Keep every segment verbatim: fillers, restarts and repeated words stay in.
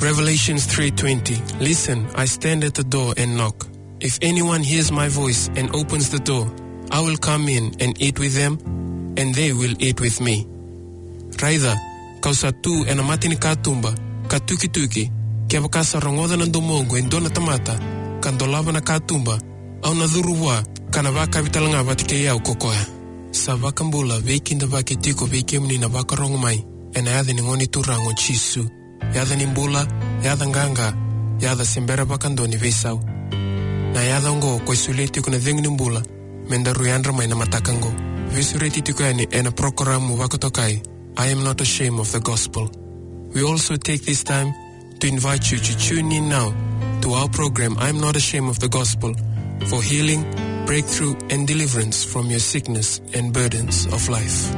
Revelations three twenty. "Listen, I stand at the door and knock. If anyone hears my voice and opens the door, I will come in and eat with them, and they will eat with me." Raica, kau sa tu ena mata ni katuba, ka tukituki, kevaka sa rogoca na domoqu e dua na tamata, ka dolava na katuba, au na curu vua, ka na vakavi tale ga vata kei au ko koya. Sa vakabula, veikidavaki tiko vei kemuni na vakarogo mai, ena yaca ni Gone Turaga o Jisu. Yaca ni bula, yaca qaqa, yaca se bera vakadua ni veisau. Na yaca oqo ko e solia tiko na cegu ni bula, me daru yadra mai na mataka oqo. Veisureti tiko yani ena porokaramu vakatokai, I Am Not Ashamed of the Gospel. We also take this time to invite you to tune in now to our program, I Am Not Ashamed of the Gospel, for healing, breakthrough, and deliverance from your sickness and burdens of life.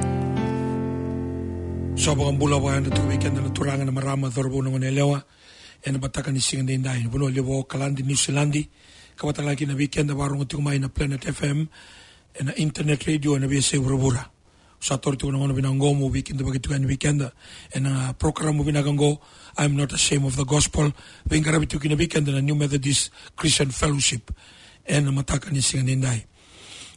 Sa vakabula vakayadra tiko vei keda na turaga, na marama, cauravou, na goneyalewa, ena mataka ni siga edaidai, ena vanua levu o Okaladi, Niusiladi, ka vaka talega kina vei keda vakarogo tiko mai na Planet F M, ena internet radio, ena veiyasai vuravura. Sa taura tiko na gauna vinaka oqo meu veikidavaki tiko yani vei keda ena porokaramu vinaka oqo, I Am Not Ashamed of the Gospel, veiqaravi tiko kina vei keda na New Methodist Christian Fellowship ena mataka ni siga edaidai.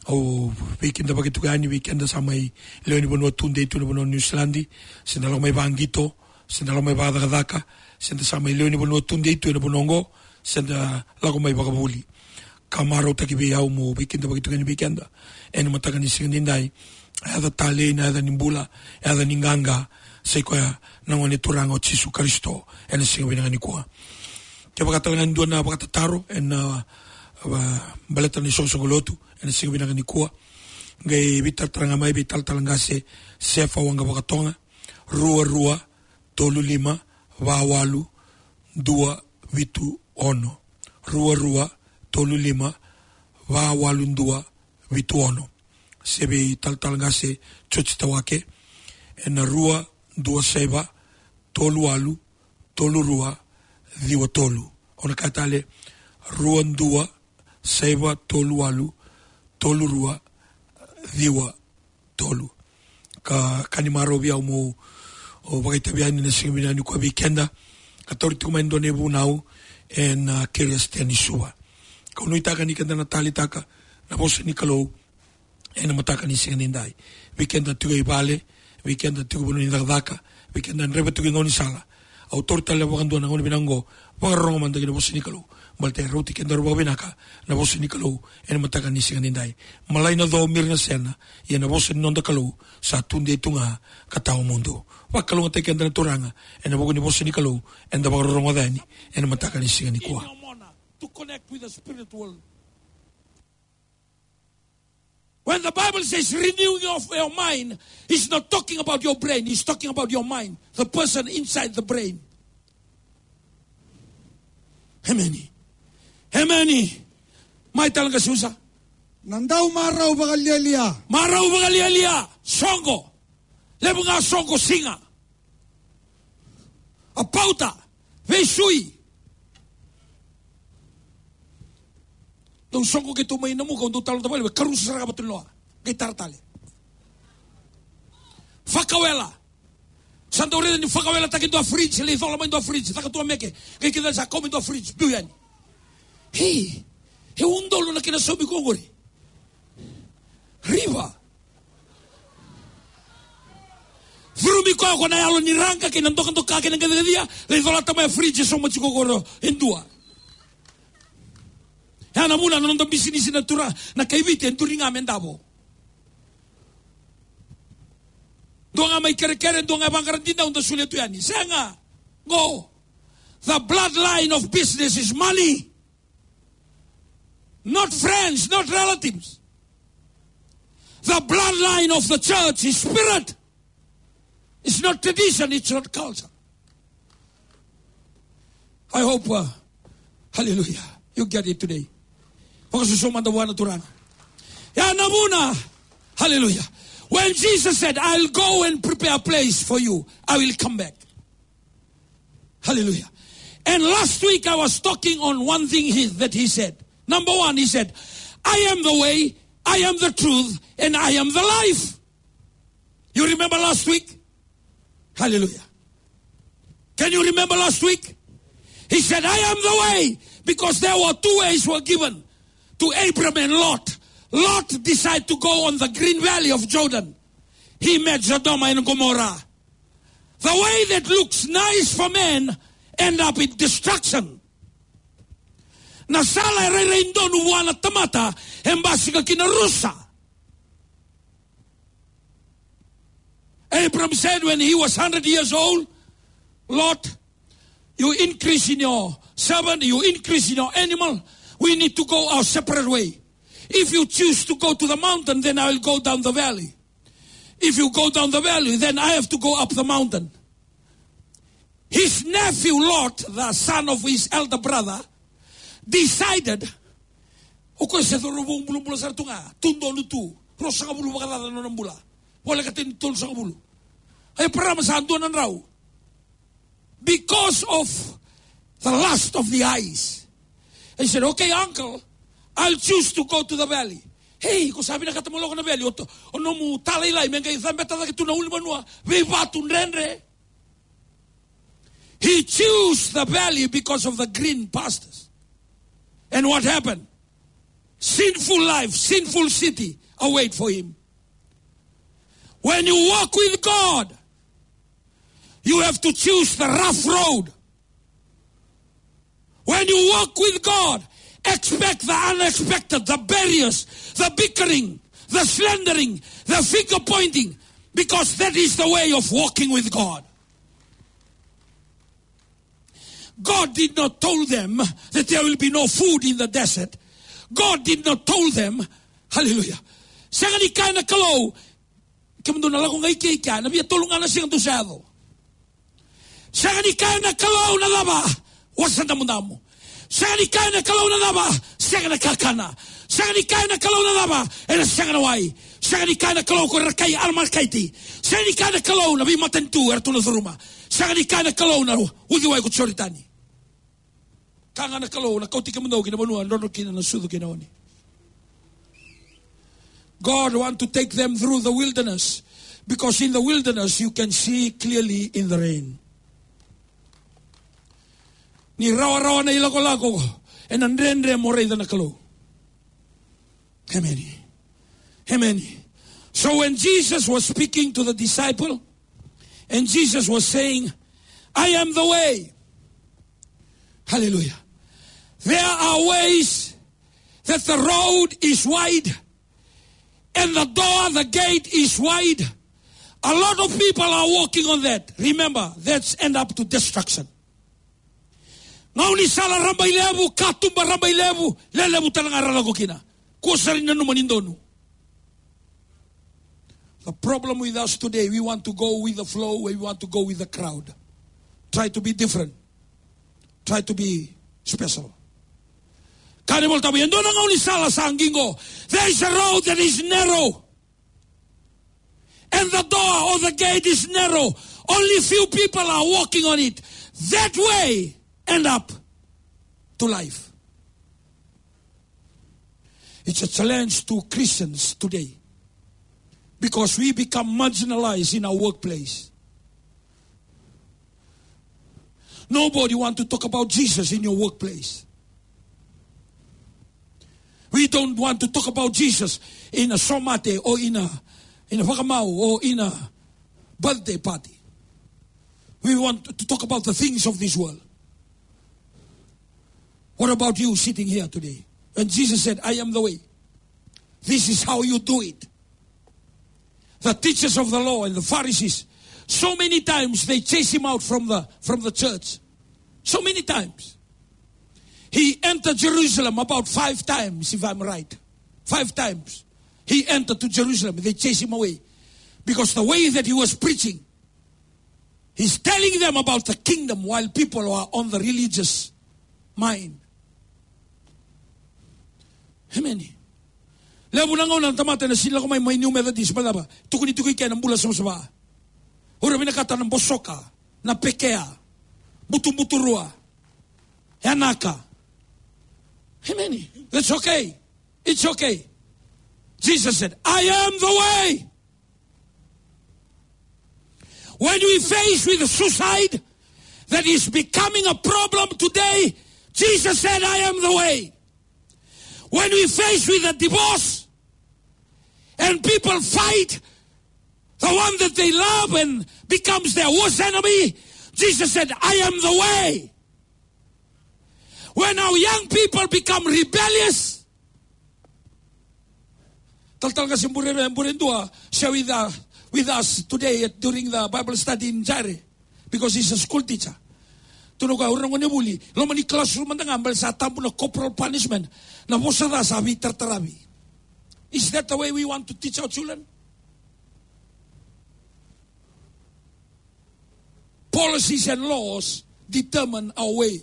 Au veikidavaki tiko yani vei keda sa mai lewe ni vanua tudei tu ena vanua o Niusiladi, se da lako mai vaqito, se da lako mai vacakacaka, se da sa mai lewe ni vanua tudei tu ena vanua oqo, se da lako mai vakavuli. Ka marautaki vei au meu veikidavaki tiko yani vei keda ena mataka ni siga edaidai. Na yaca talei, na yaca ni bula, na yaca ni qaqa, sa i koya na Gone Turaga o Jisu Karisito ena siga vinaka nikua. Kevaka talega e dua na vakatataro ena, a, baleta na isoqosoqo lotu ena siga vinaka nikua, qai veitaratara ga mai vei talatala qase Sefa Waqavakatoga, rua rua tolu lima va walu dua vitu ono. Rua rua tolu lima va walu dua vitu ono. Se vei talatala qase George Tawake ena rua dua saiva tolu walu tolu rua ciwa tolu. Au na kaya tale, rua dua saiva tolu walu tolu rua ciwa tolu. Ka, ka ni marau vei au meu, o, vakaitavi yani ena siga vinaka nikua vei keda, ka taura tiko mai e dua na ivunau ena, a, Kerisitu ni Suva. Kau nuitaka ni keda na taleitaka na vosa ni Kalou ena mataka ni siga edaidai. Vei keda tiko e vale, vei keda tiko e vanua ni cakacaka, vei keda draiva tiko e gaunisala. Au taura tale vakadua na gauna vinaka oqo, vakarorogo mada ki na vosa ni Kalou. Baleta e rauti kedaru vakavinaka na vosa ni Kalou ena mataka ni siga edaidai. Malai na co, miri na sena, ia na vosa ni noda Kalou sa tudei tu ga ka tawamudu. Vakalougatataki keda na Turaga ena vuku ni vosa ni Kalou eda vakarogoca yani ena mataka ni siga nikua. In your mona, to connect with the spirit world. When the Bible says renewing of your mind, it's not talking about your brain, it's talking about your mind, the person inside the brain. Emeni. Emeni. Mai tale qase Usa. Na dau marau vakalialia. Marau vakalialia. Soqo. Levu ga soqo, siga. A pauta, veisui. Dau soqo keitou mai Namuka, au dau talanoataka vale, me karusa sara ga vata na loa. Qai tara tale. Fakawela. Sa dau raica ni fakawelataki e dua fridge, lai cola mai e dua fridge, caka tu a meke. Qai kidacala sa kau mai e dua fridge, biu yani. Hei, e udolu na kena saumi koya qori. Riva. Curumi koya ko na yalo ni raqa kei na dokadoka kei na qaciqacia, lai colata mai a fridge e sauma tiko qori e dua. Ya na vuna na noda bisinisi na tura, na kai Viti e duri ga me davo. Dua ga mai kerekere, dua ga e vaqara dinau, da solia tu yani. Sega. Go. The bloodline of business is money. Not friends, not relatives. The bloodline of the church is spirit. It's not tradition, it's not culture. I hope, uh, hallelujah, you get it today. Vakasusuma mada vua na Turaga. Ya na vuna, hallelujah. When Jesus said, "I'll go and prepare a place for you, I will come back." Hallelujah. And last week I was talking on one thing he, that he said. Number one, he said, "I am the way, I am the truth, and I am the life." You remember last week? Hallelujah. Can you remember last week? He said, "I am the way," because there were two ways were given to Abram and Lot. Lot decided to go on the green valley of Jordan. He met Sodoma and Gomorrah. The way that looks nice for men end up in destruction. Na sala e rairai donu vua na tamata e basika ki na rusa. Abram said when he was hundred years old, "Lot, you increase in your servant, you increase in your animal. We need to go our separate way. If you choose to go to the mountain, then I will go down the valley. If you go down the valley, then I have to go up the mountain." His nephew Lot, the son of his elder brother, decided, o koya se cauravou bulabula sara tu ga, tu donu tu, ruasagavulu vakacaca na nona bula. Voleka tini tolusagavulu. Eparama sa dua na drau. Because of the lust of the eyes. He said, "Okay, uncle, I'll choose to go to the valley." Hey, ko sa vinakata mo lako na valley, o to, o nomu talailai me qai cabeta cake tu na ulunivanua, veivatu dredre. He chose the valley because of the green pastures. And what happened? Sinful life, sinful city await for him. When you walk with God, you have to choose the rough road. When you walk with God, expect the unexpected, the barriers, the bickering, the slandering, the finger pointing, because that is the way of walking with God. God did not tell them that there will be no food in the desert. God did not tell them, hallelujah. Sega ni kaya na Kalou, kemudou na lako ga i ke i kea, na via tolu ga na siga dou sa yaco. Sega ni kaya na Kalou na cava, wasa damudamu. Sega ni kaya na Kalou na cava, sega na kakana. Sega ni kaya na Kalou na cava, ena sega na wai. Sega ni kaya na Kalou ko ira na kai Amalekaiti. Sega ni kaya na Kalou na veimatanitu era tu na curuma. Sega ni kaya na Kalou na uciwai ko Joritani. Kaya ga na Kalou na kauti kemudou ki na vanua drodro kina na sucu kei na oni. God want to take them through the wilderness, because in the wilderness you can see clearly in the rain. Ni rawarawa na ilakolako, ena dredre mo raica na Kalou. Amen. Amen. So when Jesus was speaking to the disciple, and Jesus was saying, "I am the way." Hallelujah. There are ways that the road is wide and the door, the gate is wide. A lot of people are walking on that. Remember, that's end up to destruction. Gaunisala rabailevu, katuba rabailevu, lelevu tale ga ra lako kina. Kua sara ni nanuma ni donu. The problem with us today, we want to go with the flow, we want to go with the crowd. Try to be different. Try to be special. Kaya na iVolatabu, e dua na gaunisala sa qiqo. There is a road that is narrow. And the door or the gate is narrow. Only few people are walking on it. That way end up to life. It's a challenge to Christians today, because we become marginalized in our workplace. Nobody want to talk about Jesus in your workplace. We don't want to talk about Jesus in a somate or in a, in a vakamau or in a birthday party. We want to talk about the things of this world. What about you sitting here today? When Jesus said, "I am the way," this is how you do it. The teachers of the law and the Pharisees, so many times they chase him out from the, from the church. So many times. He entered Jerusalem about five times, if I'm right. Five times. He entered to Jerusalem. They chased him away. Because the way that he was preaching, he's telling them about the kingdom while people are on the religious mind. Amen. Levu na gauna na tamata ena sega ni lako mai, mai New Methodist, baleta na cava? Tukuni tiko i ke na bula savasava. O ira vinakata na bosoka, na pekea, butubuturua, yanaka. Amen. That's okay. It's okay. Jesus said, "I am the way." When we face with suicide, that is becoming a problem today, Jesus said, "I am the way." When we face with a divorce and people fight the one that they love and becomes their worst enemy, Jesus said, "I am the way." When our young people become rebellious, talatala qase bure, bure dua, share with, uh, with us today at, during the Bible study in Jaire, because he's a school teacher. Tukuna o koya, o ira na gonevuli, loma ni classroom mada ga, baleta sa tabu na corporal punishment, na vosa ca sa veitarataravi. Is that the way we want to teach our children? Policies and laws determine our way.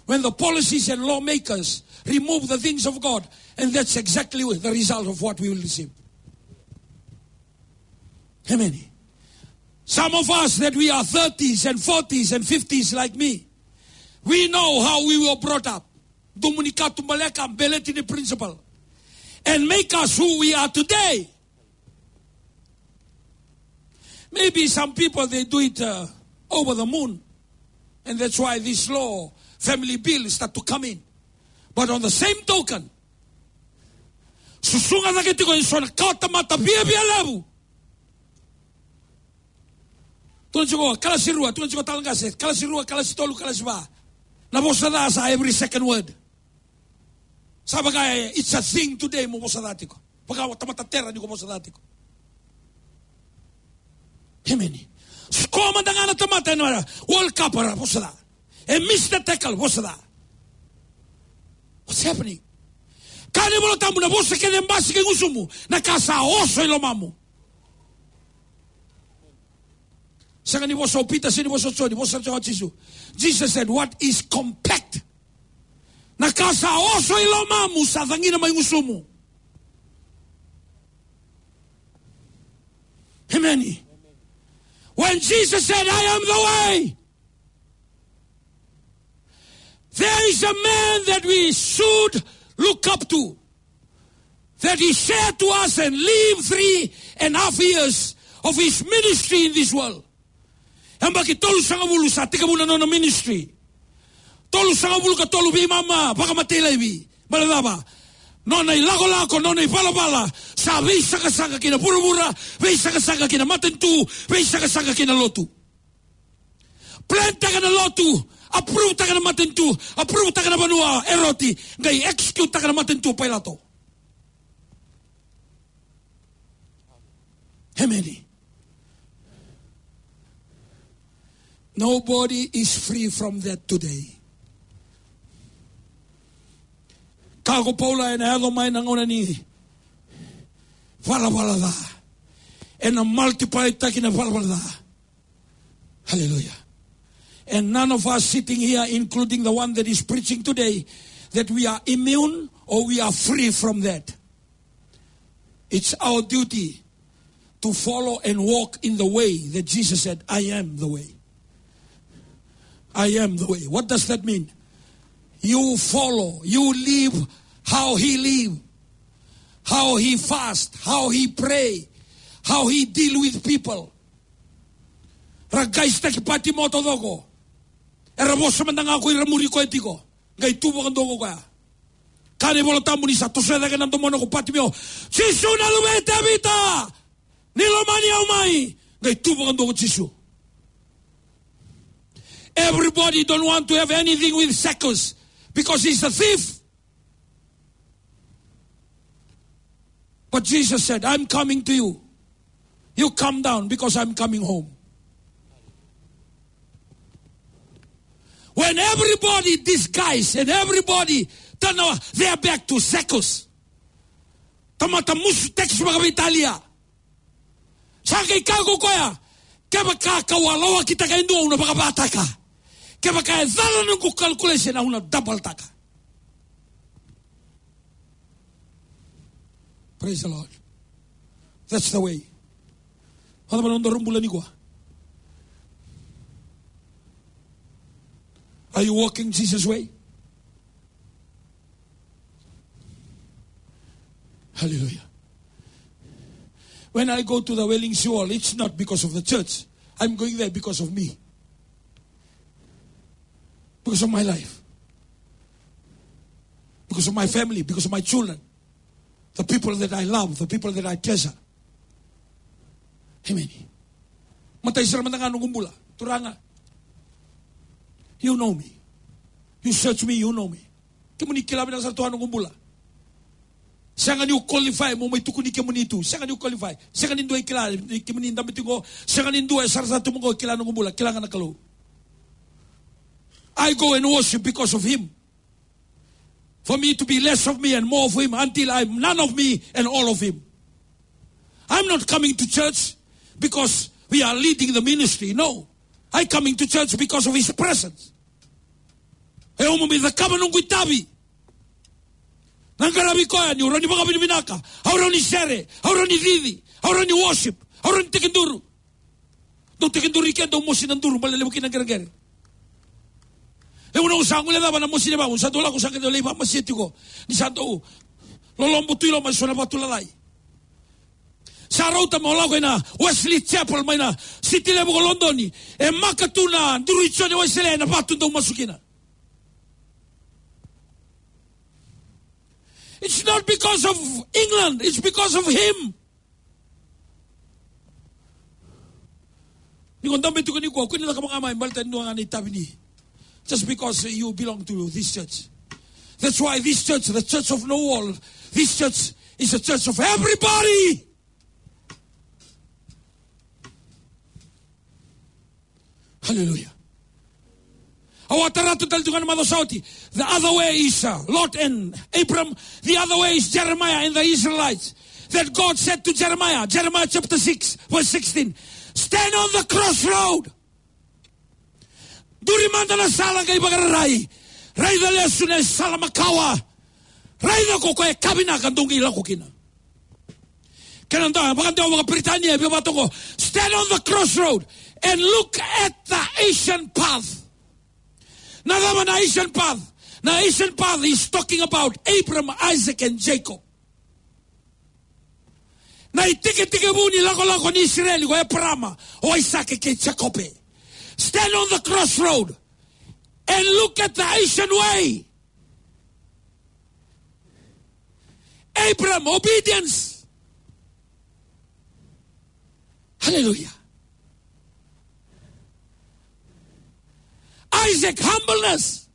When the policies and lawmakers remove the things of God, and that's exactly the result of what we will receive. Amen. Some of us that we are thirties and forties and fifties like me, we know how we were brought up. Domu ni katubaleka, beleti ni principle. And make us who we are today. Maybe some people, they do it, uh, over the moon. And that's why this law, family bill, start to come in. But on the same token, susuga cake tiko e so na kawatamata viavia levu. Tukuna tiko kalasi rua, tukuna tiko talatala qase, kalasi rua, kalasi tolu, kalasi va. Na vosa ca sa every second word. Sa vaka e, it's a thing today mo vosa ca tiko. Vaka o tamata tera ni ko vosa ca tiko. Amen. Score mada ga na tamata ena World Cup era vosa ca. E miss the tackle, vosa ca. What's happening? Kaya na iVola Tabu, na vosa kece e basika e gusumu, na ka sa oso i lomamu. Sega ni vosa o Pita, sega ni vosa o Joni, vosa o Jisu. Jesus said, "What is compact?" Na ka sa oso i lomamu sa cagina mai gusumu. Amen. When Jesus said, "I am the way," there is a man that we should look up to, that he shared to us and lived three and a half years of his ministry in this world. Yabaki tolusagavulu sa tekivu na nona ministry. Tolusagavulu ka tolu veimama vakamatei laivi. Baleta na cava? Nona ilakolako, nona ivalavala sa veisaqasaqa ki na vuravura, veisaqasaqa ki na matanitu, veisaqasaqa ki na lotu. Plan taka na lotu, approve taka na matanitu, approve taka na vanua, Eroti, qai execute taka na matanitu, Pailato. Amen. Nobody is free from that today. Kaya ko Paula, ena yaco mai na gauna ni valavala ca, ena multiply taki na valavala ca. Hallelujah. And none of us sitting here, including the one that is preaching today, that we are immune or we are free from that. It's our duty to follow and walk in the way that Jesus said, "I am the way. I am the way." What does that mean? You follow, you live how he live, how he fast, how he pray, how he deal with people. Ra qaisitaki Patimo taucoko. Era vosa mada ga ko ira muri koya tiko. Qai tu vakadua ko koya. Kaya na iVola Tabu ni sa tosoya cake na domona ko Patimeo. "Jisu na luve i Tevita, ni lomani au mai." Qai tu vakadua ko Jisu. Everybody don't want to have anything with Zacchaeus because he's a thief. But Jesus said, "I'm coming to you. You come down because I'm coming home." When everybody disguise and everybody turn our, their back to Zacchaeus. Tamata musu tax vakaveitalia. Sa qai kaya ko koya, "Kevaka kau a lawakitaka e dua, au na vakavataka. Kevaka e cala noqu calculation, au na double taka." Praise the Lord. That's the way. Vakacava na nodaru bula nikua? Are you walking Jesus' way? Hallelujah. When I go to the Wailing Sheol, it's not because of the church. I'm going there because of me. Because of my life. Because of my family, because of my children. The people that I love, the people that I treasure. Amen. Matai sara mada ga noqu bula. Turaga. You know me. You search me, you know me. Kemuni kila vinaka sara tu ga noqu bula. Sega niu qualify mo mai tukuni kemuni tu. Sega niu qualify. Sega ni dua e kila ni kemuni dabe tiko. Sega ni dua e sarasara tu mo qo kila noqu bula. Kila ga na Kalou. I go and worship because of him. For me to be less of me and more of him until I'm none of me and all of him. I'm not coming to church because we are leading the ministry. No. I coming to church because of his presence. E au mai cakava noqu itavi. Na qaravi koya niu rawa ni vakavinavinaka. Au rawa ni sere. Au rawa ni cici. Au rawa ni worship. Au rawa ni tekiduru. Dau tekiduru i ke, dau mosi na duru, baleta levu kina na qereqere. Levu na au sa guilecava na mosi ni vatu, sa dau lako sa qai dau lai vakamasia tiko. Ni sa dau lolobo tu i loma e so na vatu lalai. Sa rauta meu lako ina Wesley Chapel mai na siti levu ko Lodoni. E maka tu na duru i Joni Wesele ena vatu dau masu kina. It's not because of England, it's because of him. Ni ko dabe tiko nikua, kua ni cakava ga mai baleta ni dua ga na itavi ni. Just because you belong to this church. That's why this church, the church of no wall, this church is a church of everybody. Hallelujah. Au a tara tu tale tu ga na macawa sa oti. The other way is, uh, Lot and Abram. The other way is Jeremiah and the Israelites. That God said to Jeremiah, Jeremiah chapter six, verse sixteen, "Stand on the crossroad." Duri mada na sala qai vakararai. Raica lesu na sala makawa. Raica ko koya e ka vinaka dou qai lako kina. Kena dua, vakadewa vakaperitania, e via vaka toka, "Stand on the crossroad and look at the ancient path." Na cava na ancient path? Na ancient path is talking about Abraham, Isaac, and Jacob. Na itekitekivu ni lakolako ni Isireli ko Eparama, o Aisake kei Jekope. Stand on the crossroad and look at the ancient way. Abraham, obedience. Hallelujah. Isaac, humbleness.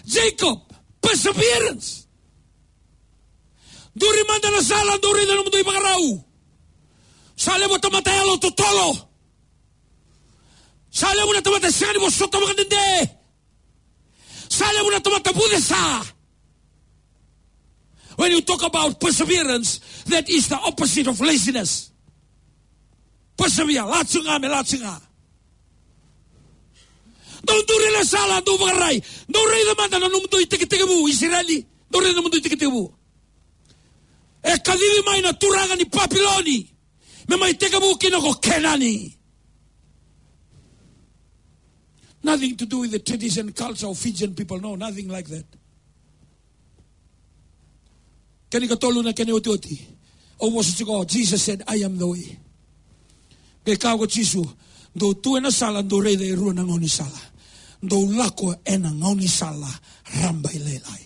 Jacob, perseverance. Duri mada na sala, duri na nomudou ivakarau. Sa levu tamata yalo totolo. Sa levu na tamata sega ni vosota vakadede. Sa levu na tamata vucesa. When you talk about perseverance, that is the opposite of laziness. Persevere, lako ga me lako ga. Dou duri na sala, dou vakararai. Dou raica mada na nomudou itekitekivu, Isireli. Dou raica na nomudou itekitekivu. E kacivi mai na turaga ni Papiloni me mai tekivu kina ko Kenani. Nothing to do with the tradition, culture of Fijian people. No, nothing like that. Kena ikatolu na kena iotioti. Au vosa tiko, Jesus said, "I am the way." Qai kaya ko Jisu, "Dou tu ena sala, dou raica e rua na gaunisala. Dou lako ena gaunisala rabailailai."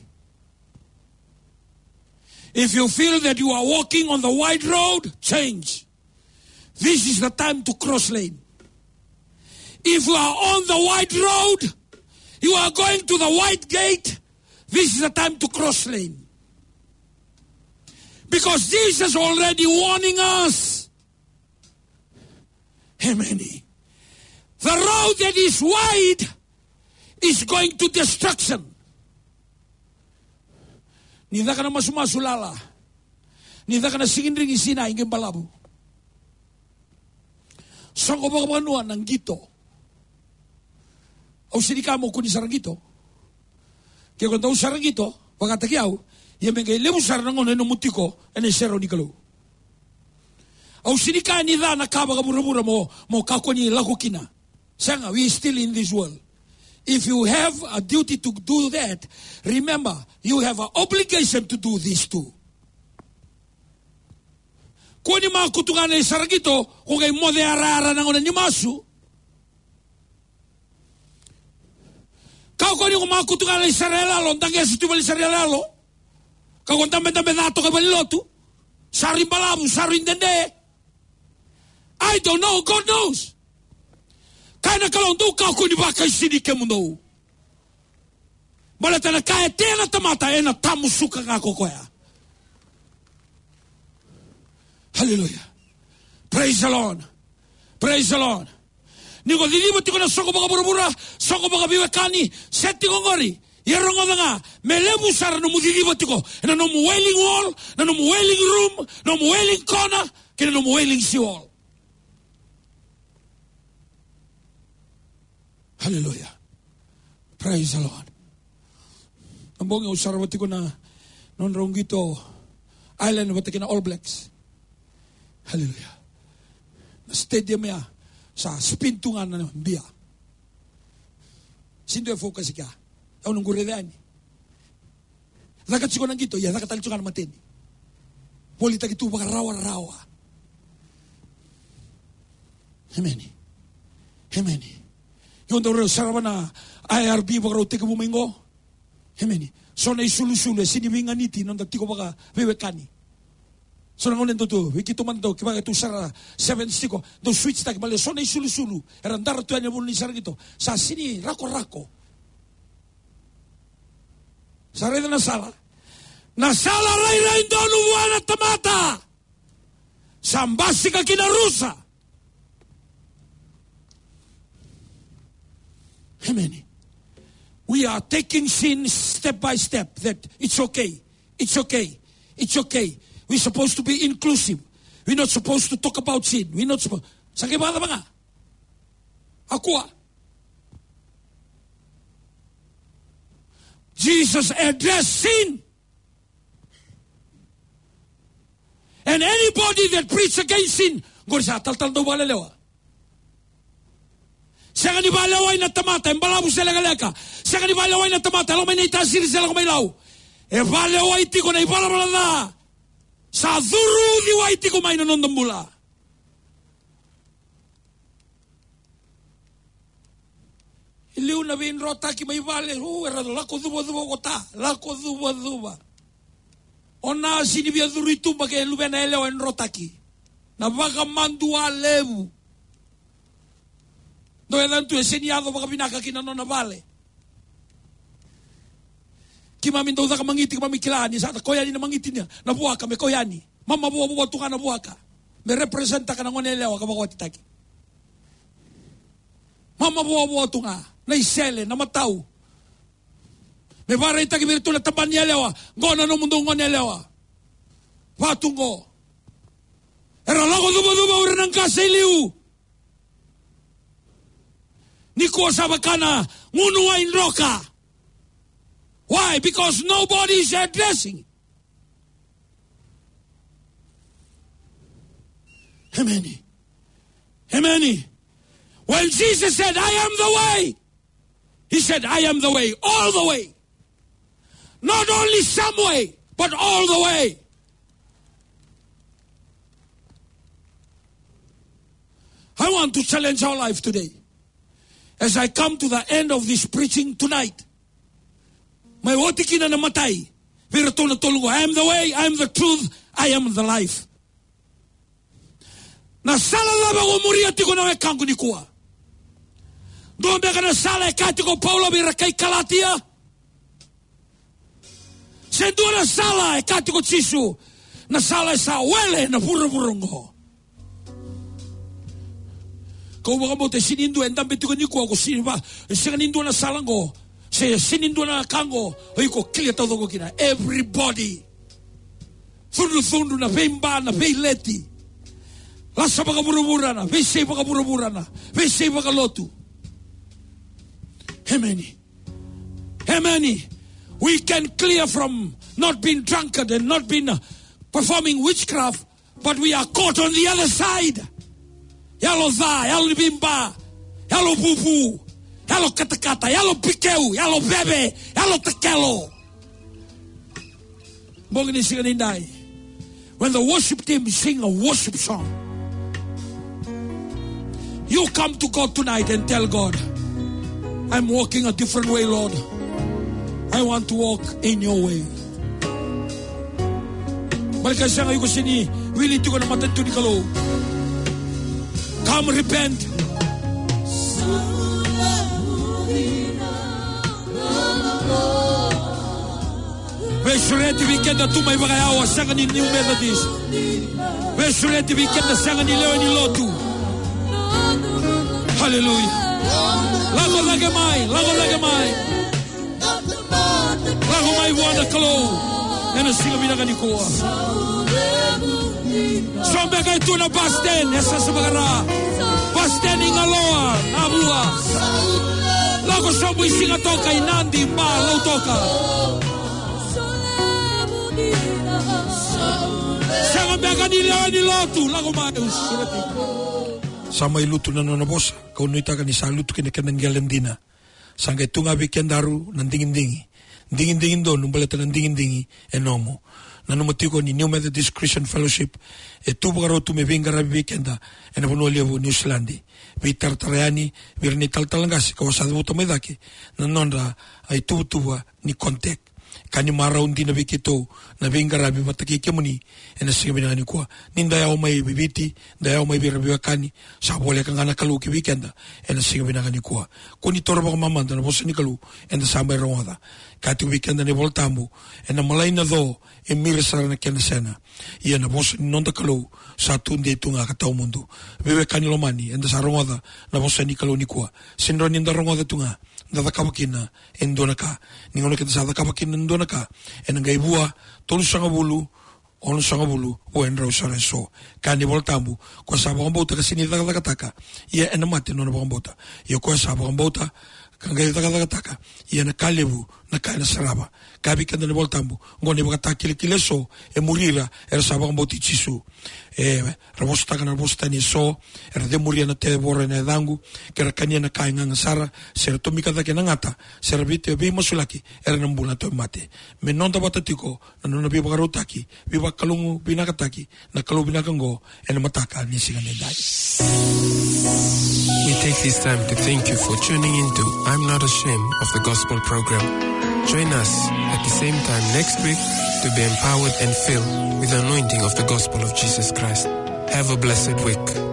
If you feel that you are walking on the wide road, change. This is the time to cross lane. If you are on the wide road, you are going to the wide gate, this is the time to cross lane. Because Jesus already warning us. Amen. The road that is wide is going to destruction. Ni caka na masumasu lala. Ni caka na sigidrigi sinai qai balavu. Soqo vakavanua na qito. Au sega ni kaya mo kua ni sara qito. Ke ko dau sara qito, vakataki au, ia me qai levu sara na gauna e nomu tiko ena iserau ni Kalou. Au sega ni kaya ni ca na ka vakavuravura mo, mo kakua ni lako kina. Sega, we still in this world. If you have a duty to do that, remember, you have an obligation to do this too. Kua ni makutu ga na isara qito, ko qai moce yarayara na gauna ni masu. Kakua ni ko makutu ga lai sara yaloyalo, daqesa tu vale sara yaloyalo. Kakua dabedabe ca toka i valelotu. Sa rui balavu, sa rui dede. I don't know, God knows. Kaya na Kalou, dou kakua ni vakaisini kemudou. Baleta na ka e tea na tamata, ena tamusuka ga ko koya. Hallelujah. Praise the Lord. Praise the Lord. Ni ko ciciva tiko na soqo vakavuravura, soqo vakaveiwekani, se tiko qori. Ia rogoca ga, me levu sara nomu ciciva tiko ena nomu wailing wall, na nomu wailing room, nomu wailing corner, kei na nomu wailing sea wall. Hallelujah. Praise the Lord. Na bogi au sarava tiko na nodrau qito Ireland vata kei na All Blacks. Hallelujah. Na stadium ya sa spin tu ga na bia. Sega ni dua e focus i kea. Au na qurece yani. Caka tiko na qito, ia caka tale tiko ga na mateni. Volitaki tu vakarawarawa. Emeni. Emeni. Io, daru sarava na I R B vakarau tekivu mai qo. Emeni. So na isulusulu e sega ni veiganiti na noda tiko vakaveiwekani. So na gauna dau tu, vei keitou mada dau, kevaka tou sara sevens tiko, dau switch taki, baleta so na isulusulu era dara tu yani e vanua ni sara qito. Sa sega ni rakorako. Sa raica na sala. Na sala rairai donu vua na tamata. Sa basika ki na rusa. Amen. We are taking sin step by step. That it's okay. It's okay. It's okay. We're supposed to be inclusive. We're not supposed to talk about sin. We're not supposed. Sa qai vakacava ga? Akua. Jesus addressed sin. And anybody that preach against sin, qori sa talatala dau vakalelewa. Sega ni vakalewai na tamata e balavu se lekaleka. Sega ni vakalewai na tamata e lako mai na itasiri se lako mai Lau. E vakalewai tiko na ivalavala ca sa curu uciwai tiko mai na noda bula. I liu na veidrotaki mai vale, u, era lako cuvacuva o kota, lako cuvacuva. O na sega ni via curu i tuba ke luvena yalewa e drotaki. Na vakamadua levu. Dou yacana tu e sega ni yaco vakavinaka ki na nona vale. Keimami dau caka magiti, keimami kila ni sa ta koya yani na magiti ni na vuaka me koya yani. Mamavoavoa tu ga na vuaka me representaka na gone yalewa ka vakawatitaki. Mamavoavoa tu ga na isele, na matau. Me vakaraitaki vei iratou na tabana ni yalewa, qo na nomudou gone yalewa. Vatu qo. Era lako cuvacuva o ira na qase i liu. Nikua sa vaka na gunu wai droka. Why? Because nobody is addressing. Amen. Amen. When Jesus said, "I am the way," he said, "I am the way, all the way." Not only some way, but all the way. I want to challenge our life today. As I come to the end of this preaching tonight, mai oti kina na imatai vei iratou na tolu qo, "I am the way, I am the truth, I am the life." Na sala cava o muria tiko na wekaqu nikua? Dua beka na sala e kaya tiko o Paula vei ira kai Kalatia? Se dua na sala e kaya tiko o Jisu, na sala e sa wele na vuravura oqo. Kau vakabauta e sega ni dua e dabe tiko nikua ko sega ni va, e sega ni dua na sala oqo, se sega ni dua na ka oqo o iko clear taucoko kina. Everybody. Cudrucudru, na veiba, na veileti. Lasa vakavuravura, na veisei vakavuravura, na veisei vakalotu. Amen. Amen. We can clear from not being drunkard and not being, uh, performing witchcraft, but we are caught on the other side. Yalo ca, yalo ni veiba, yalo vuvu, yalo katakata, yalo pikeu, yalo veve, yalo takelo. Bogi ni siga nidai, when the worship team sing a worship song, you come to God tonight and tell God, I'm walking a different way, Lord. I want to walk in your way. Baleta sega, iko sega ni wili tiko na matanitu ni Kalou. Come repent. Veisureti vei keda tu mai vakayawa, sega ni New Methodist. Veisureti vei keda sega ni lewe ni lotu. Hallelujah. Lako cake mai, lako cake mai. Lako mai vua na Kalou ena siga vinaka nikua. So beka e tu na bus stand, e sasa vakara. Bus stand i Galoa, Navua. Lako sobu i Sigatoka, i Nadi, Ba, Lautoka. Sega beka ni lewe ni lotu, lako mai, veisureti. Sa mai lutu na nona vosa, kau nuitaka ni sa lutu kina keda qele dina. Sa qai tu ga vei kedaru na digidigi. Digidigi donu baleta na digidigi e nomu. Nanuma tiko ni New Methodist Christian Fellowship e tu vakarau tu me veiqaravi vei keda ena vanua levu New Zealand. Veitaratara yani vei ira na italatala qase ka sa cavuta mai cake na nodra ituvatuva ni contact. Ka ni marau dina vei keitou na veiqaravi vata kei kemuni ena siga vinaka nikua. Ni da yawa mai Viti, da yawa mai vei ira veiwekani, sa voleka ga na Kalou ki vei keda ena siga vinaka nikua. Ko ni taura vakamamada na vosa ni Kalou eda sa mai rogoca. Ka tiko vei keda na iVola Tabu, ena malai na co e mira sara na kena sena. Ia na vosa ni noda Kalou sa tu dei tu ga ka tawamudu. Veiwekani lomani, eda sa rogoca na vosa ni Kalou nikua. Sega ni da rogoca tu ga, da cakava kina e dua na ka. Ni gauna keda sa cakava kina e dua na ka, ena qai vua tolusagavulu, onosagavulu, vua e drau sara eso. Kaya na iVola Tabu, ko sa vakabauta ka sega ni cakacakataka, ia ena mate na nona vakabauta. Ia ko sa vakabauta ka qai cakacakataka, ia na ka levu na ka ena sarava. Kaya vei keda na iVola Tabu, qo na ivakatakilakila eso e muri ira era sa vakabauti Jisu. E, ra vosataka na vosa tani eso, era cemuria na tevoro ena yacaqu, ke ra kania na ka e gaga sara, se ra tomika cake na gata, se ra vei-, veimasulaki, era na bula na tauvimate. Me noda vata tiko na nona veivakarautaki, veivakalougatataki na Kalou vinaka qo ena mataka ni siga nidai. We take this time to thank you for tuning in to I'm Not Ashamed of the Gospel program. Join us at the same time next week to be empowered and filled with the anointing of the gospel of Jesus Christ. Have a blessed week.